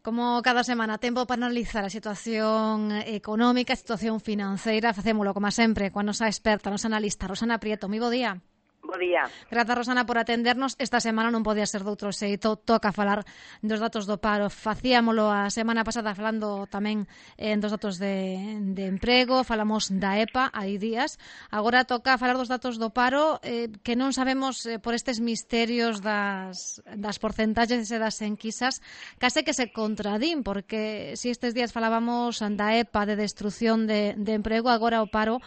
Como cada semana, tempo para analizar a situación económica, a situación financeira. Facémolo, como sempre, coa nosa experta, a nosa analista, Rosana Prieto. Moi bo día. Bo día. Grazas, Rosana, por atendernos. Esta semana non podía ser de outro xeito. Toca falar dos datos do paro. Facíamolo a semana pasada falando tamén dos datos de emprego. Falamos da EPA hai días. Agora toca falar dos datos do paro que non sabemos por estes misterios das porcentaxes e das enquisas. Case que se contradín, porque si estes días falábamos da EPA de destrucción de emprego, agora o paro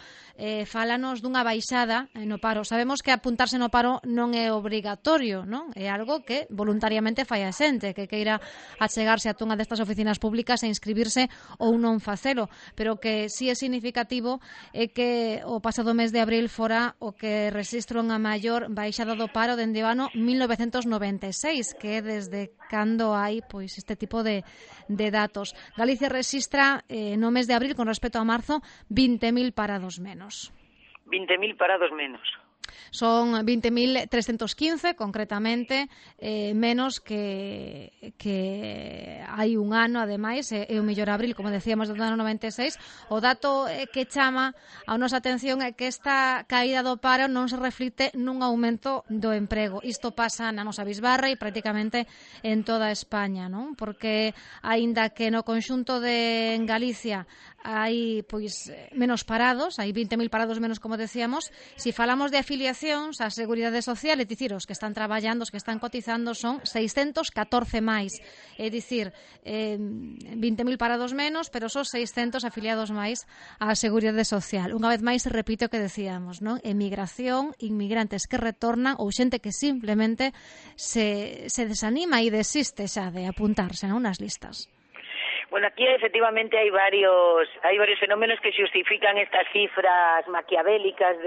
fálanos dunha baixada no paro. Sabemos que apuntarse no paro non é obrigatorio, non? É algo que voluntariamente fai a xente que queira achegarse a unha destas oficinas públicas e inscribirse ou non facelo, pero que si é significativo é que o pasado mes de abril fora o que rexistra unha maior baixada do paro dende o ano 1996, que é desde cando hai pois este tipo de datos. Galicia rexistra no mes de abril con respecto a marzo 20.000 parados menos. 20.000 parados menos. Son 20.315, concretamente, menos que hai un ano, ademais, e o mellor abril, como decíamos, do ano 96. O dato que chama a nosa atención é que esta caída do paro non se reflite nun aumento do emprego. Isto pasa na nosa bisbarra e prácticamente en toda España, non? Porque, aínda que no conxunto de Galicia hai pois menos parados, hai 20.000 parados menos, como decíamos, se falamos de afiliacións á Seguridade Social, é dicir, os que están traballando, os que están cotizando son 614 máis, é dicir, 20.000 parados menos, pero son 600 afiliados máis á Seguridade Social. Unha vez máis se repite o que decíamos, non? Emigración, inmigrantes que retornan ou xente que simplemente se desanima e desiste xa de apuntarse, non, nas listas. Bueno, aquí efectivamente hai varios fenómenos que xustifican estas cifras maquiavélicas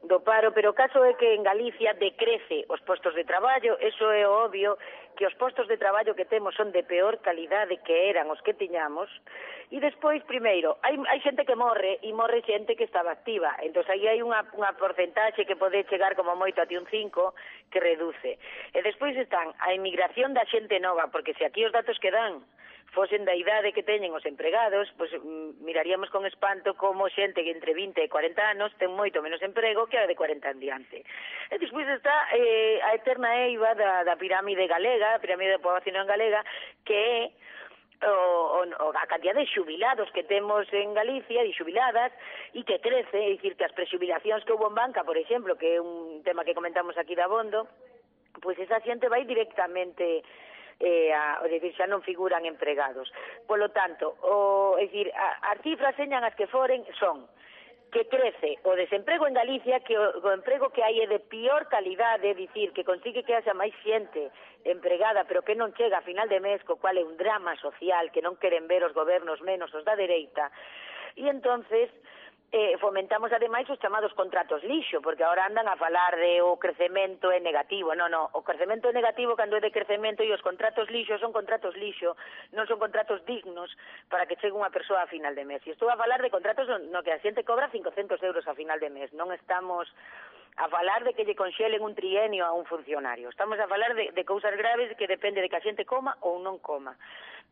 do paro, pero o caso é que en Galicia decrece os postos de traballo. Eso é obvio, que os postos de traballo que temos son de peor calidade que eran os que tiñamos, e despois, primeiro, hai xente que morre, e morre xente que estaba activa, entón aí hai unha porcentaxe que pode chegar como moito a un 5 que reduce, e despois están a emigración da xente nova, porque se aquí os datos que dan fosen da idade que teñen os empregados, pois miraríamos con espanto como xente que entre 20 e 40 anos ten moito menos emprego que a de 40 en diante. E despois está a eterna eiva da pirámide galega, a pirámide da poboación galega, que é a cantidad de xubilados que temos en Galicia, de xubiladas, e que crece, é dicir, que as prexubilacións que houve en banca, por exemplo, que é un tema que comentamos aquí de abondo, pois esa xente vai directamente xa non figuran empregados. Polo tanto, as cifras señan as que foren son que crece o desemprego en Galicia, que o emprego que hai é de pior calidade, é dicir, que consigue que haxa máis xente empregada, pero que non chega a final de mes, co cual é un drama social que non queren ver os gobernos menos os da dereita, e entonces fomentamos ademais os chamados contratos lixo, porque agora andan a falar de o crecemento é negativo. Non, o crecemento é negativo cando é de crecemento, e os contratos lixo son contratos lixo, non son contratos dignos para que chegue unha persoa a final de mes. E estou a falar de contratos no que a xente cobra 500 euros a final de mes, non estamos a falar de que lle conxelen un trienio a un funcionario, estamos a falar de cousas graves que depende de que a xente coma ou non coma.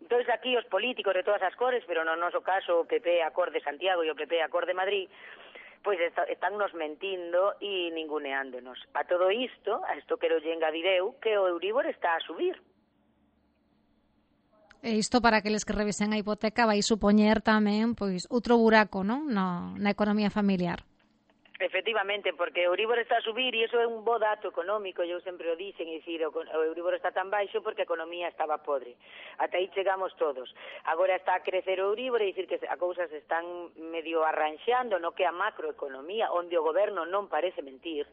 Entón, aquí os políticos de todas as cores, pero no noso caso o PP a cor de Santiago e o PP a cor de Madrid, pois están nos mentindo e ninguneándonos. A todo isto quero lle engadir eu que o Euribor está a subir. E isto, para aqueles que revisen a hipoteca, vai supoñer tamén pois outro buraco, non, na economía familiar. Efectivamente, porque o Euribor está a subir e iso é un bo dato económico, eu sempre o dicen, é dicir, o Euribor está tan baixo porque a economía estaba podre. Ata aí chegamos todos. Agora está a crecer o Euribor, é dicir que a cousas están medio arranxando no que a macroeconomía, onde o goberno non parece mentir,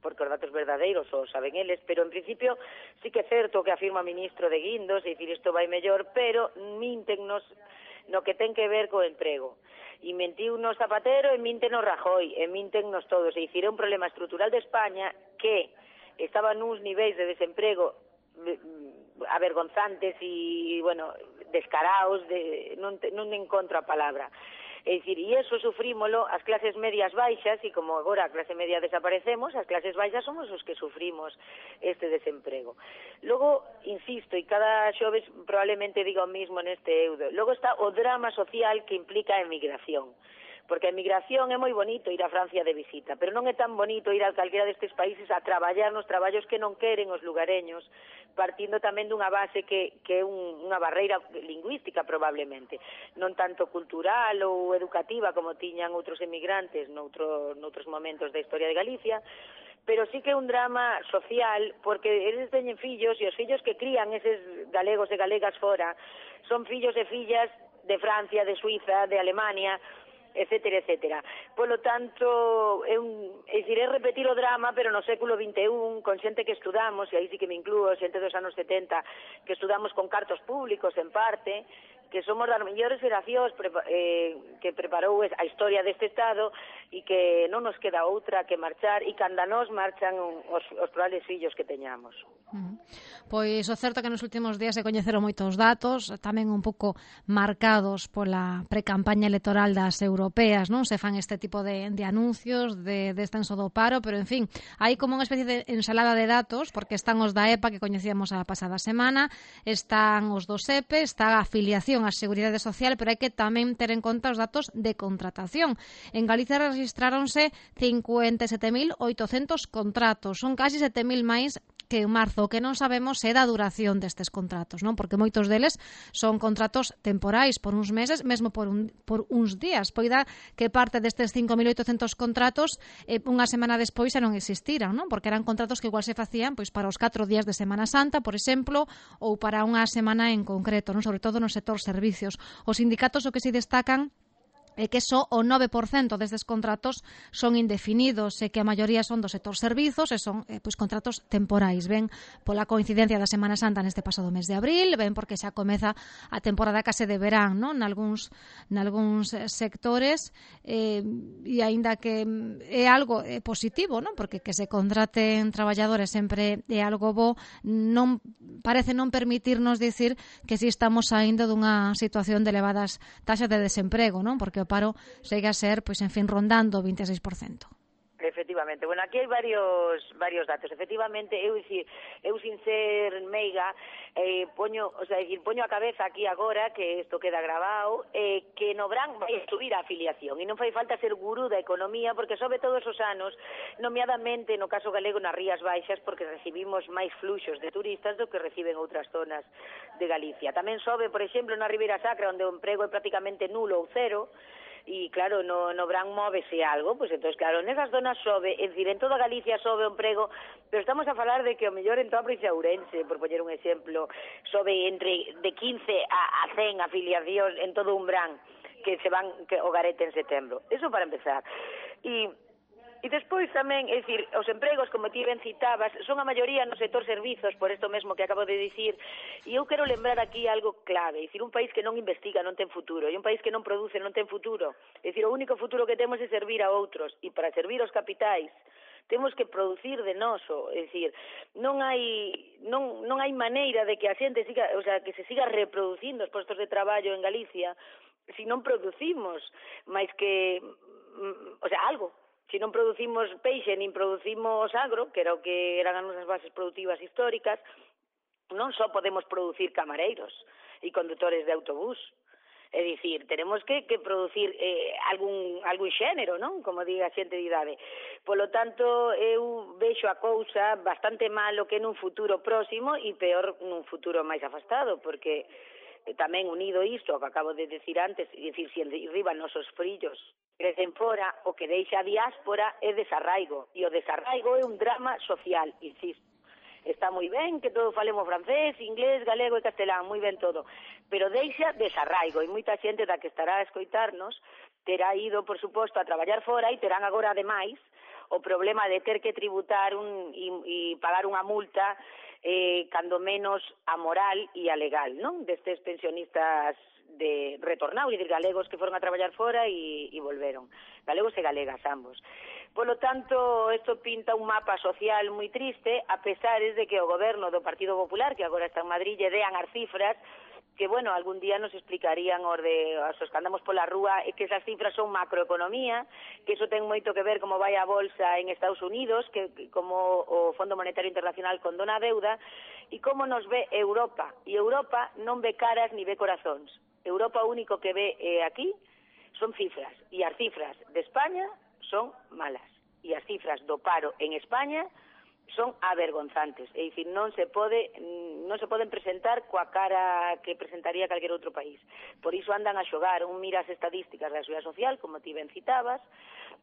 porque os datos verdadeiros o saben eles, pero en principio sí que é certo que afirma o ministro de Guindos, é dicir, isto vai mellor, pero míntennos no que ten que ver co emprego. E mentiu no Zapatero e minten no Rajoy, e mintennos todos. É dicir, é un problema estrutural de España que estaba nuns niveis de desemprego avergonzantes e, bueno, descaraos, non encontro a palabra. É dicir, e eso sufrímolo as clases medias baixas, e como agora a clase media desaparecemos, as clases baixas somos os que sufrimos este desemprego. Logo, insisto, e cada xoves probablemente diga o mismo neste eudo, logo está o drama social que implica a emigración. Porque a emigración é moi bonito ir a Francia de visita, pero non é tan bonito ir a calquera destes países a traballar nos traballos que non queren os lugareños, partindo tamén dunha base que é unha barreira lingüística probablemente, non tanto cultural ou educativa como tiñan outros emigrantes noutros momentos da historia de Galicia, pero sí que é un drama social, porque eles teñen fillos, e os fillos que crían eses galegos e galegas fora son fillos e fillas de Francia, de Suiza, de Alemania, etcétera, etcétera. Polo tanto, é repetir o drama, pero no século XXI, con xente que estudamos, e aí sí que me incluo, xente dos anos 70, que estudamos con cartos públicos, en parte, que somos das mellores xeracións que preparou a historia deste Estado e que non nos queda outra que marchar, e canda nos marchan os probables fillos que teñamos. Pois o certo é que nos últimos días se coñeceron moitos datos, tamén un pouco marcados pola precampaña electoral das europeas, non? Se fan este tipo de anuncios de descenso do paro, pero en fin, hai como unha especie de ensalada de datos, porque están os da EPA que coñecíamos a pasada semana, están os do SEPE, está a afiliación á Seguridade Social, pero hai que tamén ter en conta os datos de contratación. En Galicia registráronse 57.800 contratos, son casi 7.000 máis que en marzo. O que non sabemos é da duración destes contratos, non? Porque moitos deles son contratos temporais por uns meses, mesmo por uns días. Poida que parte destes 5.800 contratos unha semana despois xa non existiran, non? Porque eran contratos que igual se facían pois para os 4 días de Semana Santa, por exemplo, ou para unha semana en concreto, non? Sobre todo no sector servicios. Os sindicatos o que se destacan é que só o 9% destes contratos son indefinidos e que a maioría son do sector servizos e son pois contratos temporais. Ben pola coincidencia da Semana Santa neste pasado mes de abril, ben porque xa comeza a temporada case de verán, non? Nalgúns sectores e aínda que é algo positivo, non? Porque que se contraten traballadores sempre é algo bo, non parece non permitirnos dicir que si estamos saindo dunha situación de elevadas taxas de desemprego, non? Porque o paro segue a ser, pois, en fin, rondando o 26%. Efectivamente. Bueno, aquí hai varios datos. Efectivamente, eu sin ser meiga, poño a cabeza aquí agora, que isto queda grabado, que no Brán vai subir a afiliación, e non fai falta ser gurú da economía, porque sobe todos os anos, nomeadamente no caso galego nas Rías Baixas, porque recibimos máis fluxos de turistas do que reciben outras zonas de Galicia. Tamén sobe, por exemplo, na Ribeira Sacra, onde o emprego é prácticamente nulo ou cero, e claro, no Brán móvese algo, pois entón, claro, nesas zonas sobe, é dicir, en toda Galicia sobe o emprego, pero estamos a falar de que o mellor en toda a provincia de Ourense, por poñer un exemplo, sobe entre de 15 a 100 afiliacións en todo un Brán que se van o garete en setembro. Eso para empezar. E despois tamén, é dicir, os empregos, como ti ben citabas, son a maioría no sector servizos, por isto mesmo que acabo de dicir, e eu quero lembrar aquí algo clave, é dicir, un país que non investiga non ten futuro, e un país que non produce non ten futuro, é dicir, o único futuro que temos é servir a outros, e para servir os capitais temos que producir de noso, é dicir, non hai maneira de que a xente siga, o sea, que se siga reproducindo os postos de traballo en Galicia se non producimos máis que, o sea, algo. Se non producimos peixe, nin producimos agro, que era o que eran as nosas bases productivas históricas, non só podemos producir camareiros e condutores de autobús. É dicir, tenemos que producir algún xénero, non? Como diga a xente de idade. Polo tanto, eu vexo a cousa bastante malo que nun futuro próximo e peor nun futuro máis afastado, porque tamén unido isto, o que acabo de decir antes, é dicir, se arriba nosos frillos crecen fora, o que deixa a diáspora é desarraigo, e o desarraigo é un drama social, insisto. Está moi ben que todo falemos francés, inglés, galego e castelán, moi ben todo, pero deixa desarraigo, e moita xente da que estará a escoitarnos terá ido, por suposto, a traballar fora e terán agora, ademais, o problema de ter que tributar e pagar unha multa cando menos amoral e a legal, non? Destes pensionistas de retornado, e de galegos que foron a traballar fora e volveron. Galegos e galegas, ambos. Polo tanto, isto pinta un mapa social moi triste, a pesar de que o goberno do Partido Popular, que agora está en Madrid, lle dean as cifras que, bueno, algún día nos explicarían os que andamos pola rúa, que esas cifras son macroeconomía, que iso ten moito que ver como vai a bolsa en Estados Unidos, que como o Fondo Monetario Internacional condona a deuda, e como nos ve Europa. E Europa non ve caras ni ve corazóns. Europa o único que ve aquí son cifras, e as cifras de España son malas, e as cifras do paro en España son avergonzantes, é dicir, non se poden presentar coa cara que presentaría calquer outro país. Por iso andan a xogar, un mira as estadísticas da Seguridade Social, como ti ben citabas,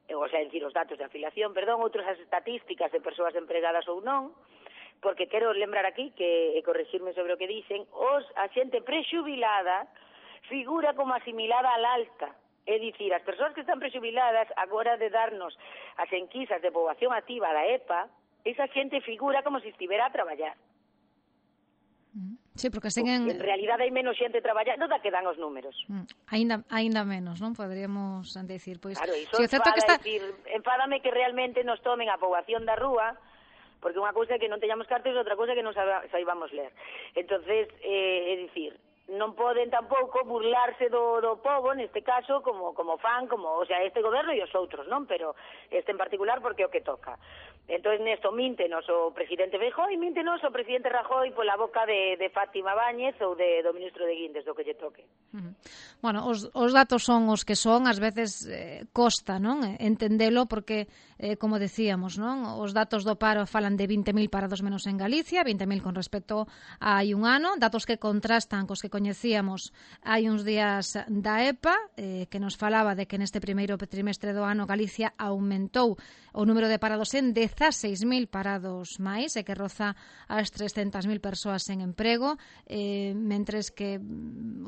o sea, decir, os datos de afiliación, outros as estatísticas de persoas empregadas ou non, porque quero lembrar aquí que, e corregirme sobre o que dicen, a xente prexubilada figura como asimilada al alta. É dicir, as persoas que están prexubiladas, agora de darnos as enquisas de poboación activa da EPA, esa xente figura como se estivera a traballar. Sí, porque seguen... En realidade hai menos xente traballando da que dan os números. Ainda menos, non? Poderíamos decir, pois... Claro, iso si enfada, que está... decir, enfádame que realmente nos tomen a poboación da rúa, porque unha cousa é que non teñamos cartos e outra cousa é que non saibamos ler. Entonces, é dicir, non poden tampouco burlarse do pobo, neste caso, como fan, o sea, este goberno e os outros, non? Pero este en particular porque é o que toca. Entón, nesto, míntenos o presidente Feijóo e míntenos o presidente Rajoy pola boca de Fátima Báñez ou do ministro de Guindes, do que lle toque. Bueno, os datos son os que son, ás veces costa, non? Entendelo porque, como decíamos, non? Os datos do paro falan de 20.000 parados menos en Galicia, 20.000 con respecto a hai un ano, datos que contrastan cos que coñecíamos hai uns días da EPA, que nos falaba de que neste primeiro trimestre do ano Galicia aumentou o número de parados en 16.000 parados máis, e que roza as 300.000 persoas en emprego, mentres que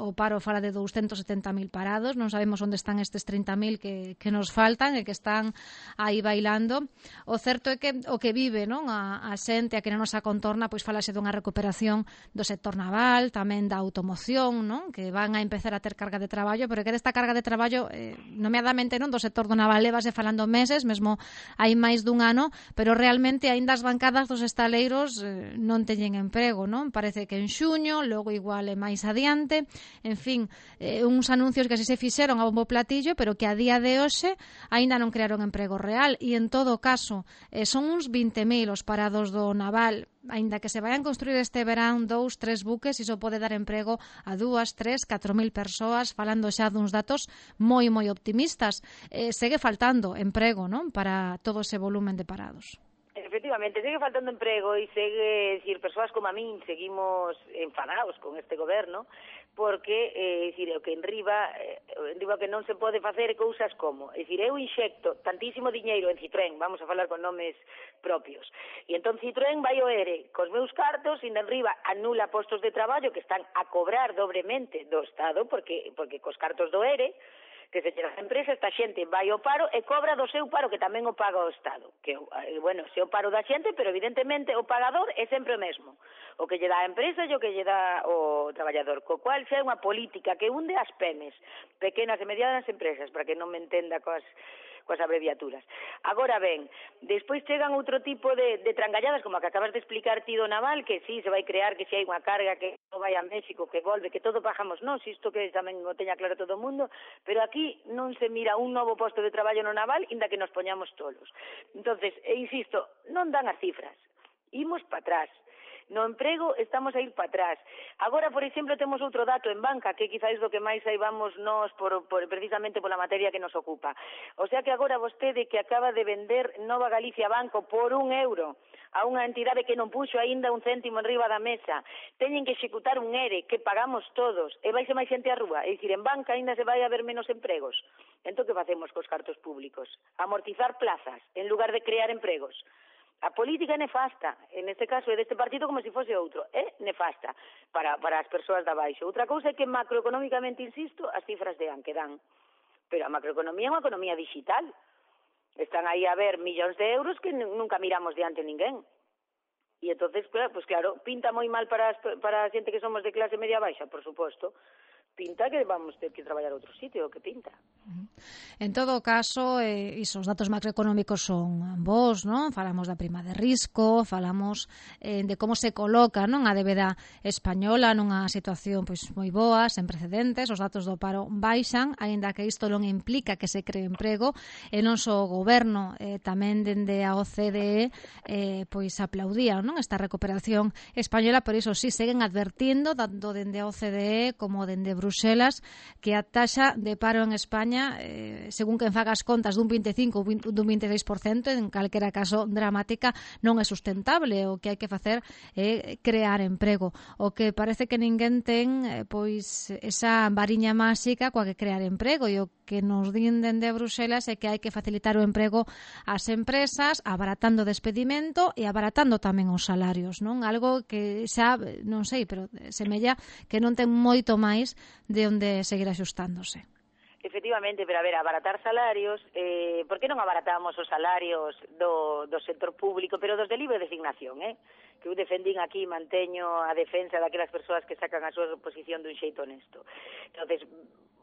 o paro fala de 270.000 parados. Non sabemos onde están estes 30.000 que nos faltan e que están aí bailando. O certo é que o que vive, non, a xente, a que na nosa contorna, pois falase dunha recuperación do sector naval, tamén da automoción, non, que van a empezar a ter carga de traballo, pero que desta carga de traballo, nomeadamente, non, do sector do naval levase falando meses, mesmo hai máis dun ano, pero realmente aínda as bancadas dos estaleiros non teñen emprego, non? Parece que en xuño, logo igual é máis adiante, en fin, uns anuncios que así se fixeron a bombo platillo, pero que a día de hoxe aínda non crearon emprego real, e en todo caso son uns 20.000 os parados do naval. Aínda que se vayan construir este verán 2, 3 buques, iso pode dar emprego a 2, 3, 4.000 persoas, falando xa duns datos moi optimistas. Segue faltando emprego, non, para todo ese volumen de parados. Efectivamente, segue faltando emprego e segue, decir, persoas como a min seguimos enfadados con este goberno, porque, decir, o que enriba que non se pode facer cousas como, decir, eu inxecto tantísimo diñeiro en Citroën, vamos a falar con nomes propios, e entón Citroën vai o ERE cos meus cartos, e enriba anula postos de traballo que están a cobrar dobremente do Estado, porque cos cartos do ERE, que se chega a empresa, esta xente vai ao paro e cobra do seu paro, que tamén o paga o Estado. Que, bueno, se o paro da xente, pero evidentemente o pagador é sempre o mesmo. O que lle dá a empresa e o que lle dá o traballador. Co cual xa é unha política que hunde as PEMES, pequenas e medianas empresas, para que non me entenda coas abreviaturas. Agora ben, despois chegan outro tipo de trangalladas, como a que acabas de explicar ti do naval, que sí, se vai crear, que si hai unha carga, que non vai a México, que volve, que todo pagamos nós, isto que tamén o teña claro todo o mundo, pero aquí non se mira un novo posto de traballo no naval, inda que nos poñamos tolos. Entonces, insisto, non dan as cifras, imos para atrás. No emprego estamos a ir para atrás. Agora, por exemplo, temos outro dato en banca, que quizáis do que máis saibamos nós precisamente pola materia que nos ocupa. O sea que agora vostede, que acaba de vender Nova Galicia Banco por €1 a unha entidade que non puxo aínda un céntimo enriba da mesa, teñen que executar un ERE que pagamos todos, e vaise máis xente á rúa, é dicir, en banca aínda se vai haber menos empregos. Entón, que facemos cos cartos públicos? Amortizar plazas, en lugar de crear empregos. A política é nefasta, en este caso é deste partido como se fose outro, é nefasta para as persoas da baixo. Outra cousa é que macroeconómicamente, insisto, as cifras dan, que dan. Pero a macroeconomía é unha economía digital. Están aí a ver millóns de euros que nunca miramos diante ninguén. E entonces, pues claro, pinta moi mal para a xente que somos de clase media baixa, por suposto. Pinta que vamos ter que traballar a outro sitio, que pinta. En todo caso, os datos macroeconómicos son bons, non? Falamos da prima de risco, falamos de como se coloca, non, a débeda española nunha situación pois moi boa, sen precedentes, os datos do paro baixan, aínda que isto non implica que se cree emprego, e non só o goberno, tamén dende a OCDE pois aplaudían, non, esta recuperación española, por iso sí seguen advertindo, tanto dende a OCDE como dende Bruxelas, que a taxa de paro en España, según quen faga as contas, dun 25 ou dun 26%, en calquera caso dramática, non é sustentable. O que hai que facer é crear emprego. O que parece que ninguén ten pois esa variña máxica coa que crear emprego, e o que nos din dende Bruxelas é que hai que facilitar o emprego ás empresas, abaratando o despedimento e abaratando tamén os salarios, non? Algo que xa, non sei, pero semella que non ten moito máis de onde seguir axustándose. Efectivamente, pero a ver, abaratar salarios, por que non abaratamos os salarios do sector público, pero dos de libre designación, que eu defendín aquí, manteño a defensa daquelas persoas que sacan a súa posición dun xeito honesto. Entonces,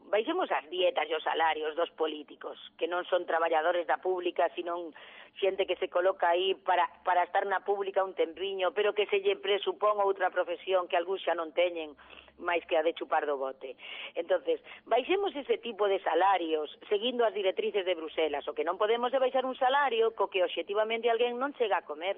baixemos as dietas e os salarios dos políticos, que non son traballadores da pública, sino xente que se coloca aí para estar na pública un tempiño, pero que se lle presupón outra profesión que algúns xa non teñen, máis que a de chupar do bote. Entonces, baixemos ese tipo de salarios, seguindo as directrices de Bruselas. O que non podemos é baixar un salario co que obxectivamente alguén non chega a comer,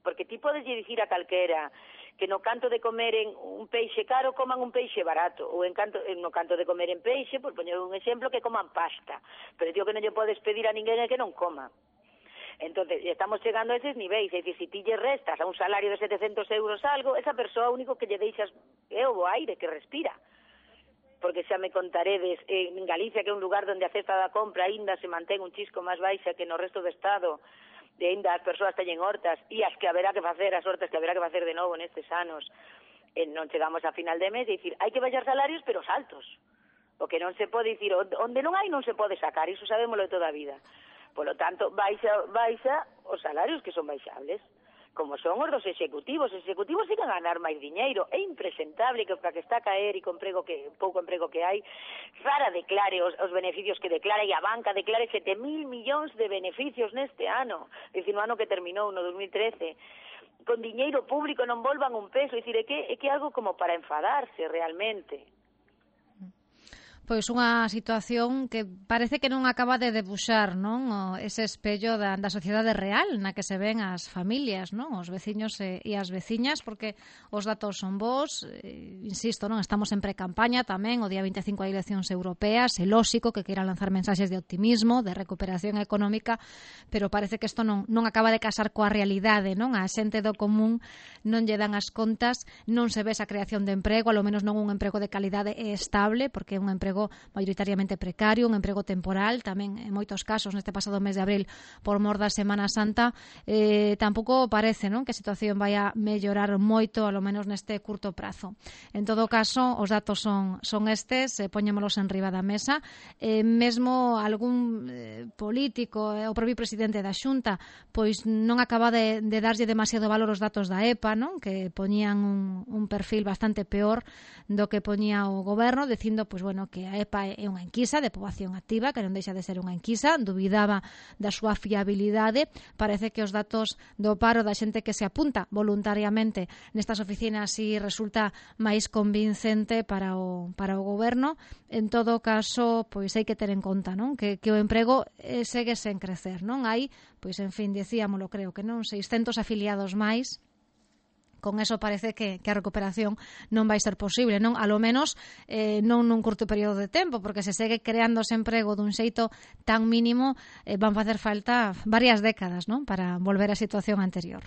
porque ti podes lle dicir a calquera que no canto de comeren un peixe caro coman un peixe barato, ou no canto de comer en peixe, por poñer un exemplo, que coman pasta, pero digo que non lle podes pedir a ninguén que non coma. Entonces, estamos chegando a eses niveis, é dicir, se ti lle restas a un salario de 700 euros algo, esa persoa único que lle deixas é o aire que respira. Porque xa me contaredes, en Galicia, que é un lugar onde a cesta da compra aínda se mantén un chisco máis baixa que no resto do Estado, de ainda as persoas teñen hortas, e as que haberá que facer, as hortas que haberá que facer de novo nestes anos, non chegamos a final de mes, é dicir, hai que baixar salarios, pero altos. O que non se pode dicir, onde non hai non se pode sacar, iso sabémoslo de toda a vida. Por lo tanto, baixa os salarios que son baixables, como son os dos executivos. Os executivos siguen a ganar máis diñeiro. É impresentable que para que está a caer e con pouco emprego que hai, Zara declare os beneficios que declara, e a banca declare 7.000 millóns de beneficios neste ano, é dicir, no ano que terminou, no 2013, con diñeiro público non volvan un peso. É dicir, é que é algo como para enfadarse realmente. Pois unha situación que parece que non acaba de debuxar, non, ese espello da sociedade real na que se ven as familias, non, os veciños e as veciñas, porque os datos son bons, insisto, non, estamos en precampaña tamén, o día 25 hai eleccións europeas, é lóxico que queiran lanzar mensaxes de optimismo, de recuperación económica, pero parece que isto non acaba de casar coa realidade, non, a xente do común non lle dan as contas, non se ve esa creación de emprego, alo menos non un emprego de calidade e estable, porque é un emprego maioritariamente precario, un emprego temporal, tamén en moitos casos neste pasado mes de abril por mor da Semana Santa, tampouco parece, non, que a situación vai a mellorar moito, alo menos neste curto prazo. En todo caso, os datos son estes, poñémolos en riba da mesa, mesmo algún político, o propio presidente da Xunta, pois non acaba de darlle demasiado valor os datos da EPA, non, que poñían un perfil bastante peor do que poñía o goberno, dicindo, pois bueno, que a EPA é unha enquisa de poboación activa, que non deixa de ser unha enquisa, dubidaba da súa fiabilidade. Parece que os datos do paro da xente que se apunta voluntariamente nestas oficinas si resulta máis convincente para o goberno. En todo caso, pois hai que ter en conta, non, que o emprego segue sen crecer, non hai, pois en fin, dicíamolo, creo que non, 600 afiliados máis. Con eso parece que a recuperación non vai ser posible, non? A lo menos non nun curto período de tempo, porque se segue creándose emprego dun xeito tan mínimo, van facer falta varias décadas, non? Para volver á situación anterior.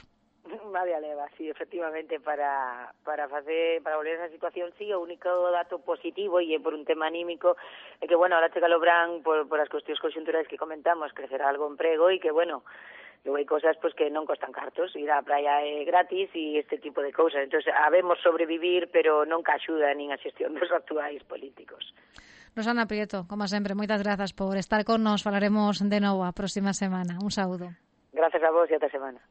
Media leva, sí, efectivamente, para volver a esa situación, sí, o único dato positivo, e por un tema anímico, é que, bueno, ahora chega o verán por as cuestións conxunturais que comentamos, crecerá algo emprego, e que, bueno, luego hai cosas pues que non costan cartos, ir á praia é gratis e este tipo de cousas. Entonces, habemos sobrevivir, pero non que axuda nin a xestión dos actuais políticos. Rosana Prieto, como sempre, moitas grazas por estar con nos. Falaremos de novo a próxima semana. Un saúdo. Grazas a vos e ata semana.